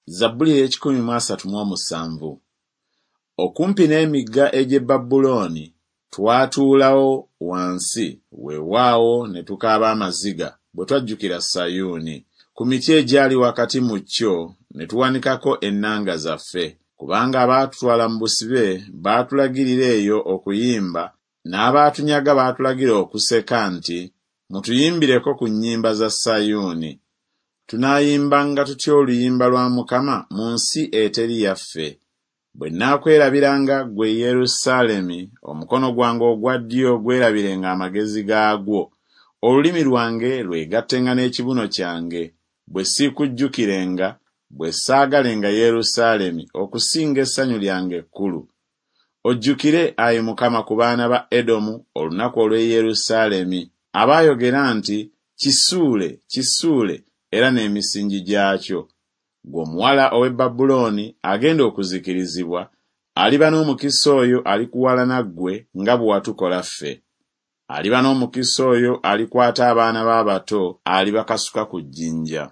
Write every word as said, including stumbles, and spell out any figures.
Zabbuli ey'ekikumi mu asatu mu omusanvu. Okumpi n'emigga egy'e Babulooni twatuulawo wansi, weewaawo ne tukaaba amaziga, bwe twajjukira Sayuuni. Ku miti egyali wakati mu kyo ne tuwanikako ennanga zaffe, kubanga abaatutwala mu busibe baatulagirira eyo okuyimba, n'abaatunyaga baatulagira okuseka nti, Mutuyimbireko ku nnyimba za Sayuuni. Tunaayimbanga tutya oluyimba lwa Mukama mu nsi eteri yaffe? Bwe nnaakwerabiranga ggwe Yerusaalemi, omukono gwange ogwa ddyo gwerabirenga amagezi gaagwo, olulimi lwange lwegattenga n'ekibuno kyange, bwe siikujjukirenga, bwe saagalenga Yerusaalemi okusinga essanyu lyange ekkulu. Ojjukire, ayi Mukama, ku baana ba Edomu olunaku olw'e Yerusaalemi, abaayogera nti, Kisuule, kisuule, era n'emisingi gyakyo. Ggwe omuwala ow'e Babulooni agenda okuzikirizibwa, aliba n'omukisa oyo alikuwalana ggwe nga bwe watukola ffe. Aliba n'omukisa oyo alikwata abaana be abato alibakasuka ku jjinja.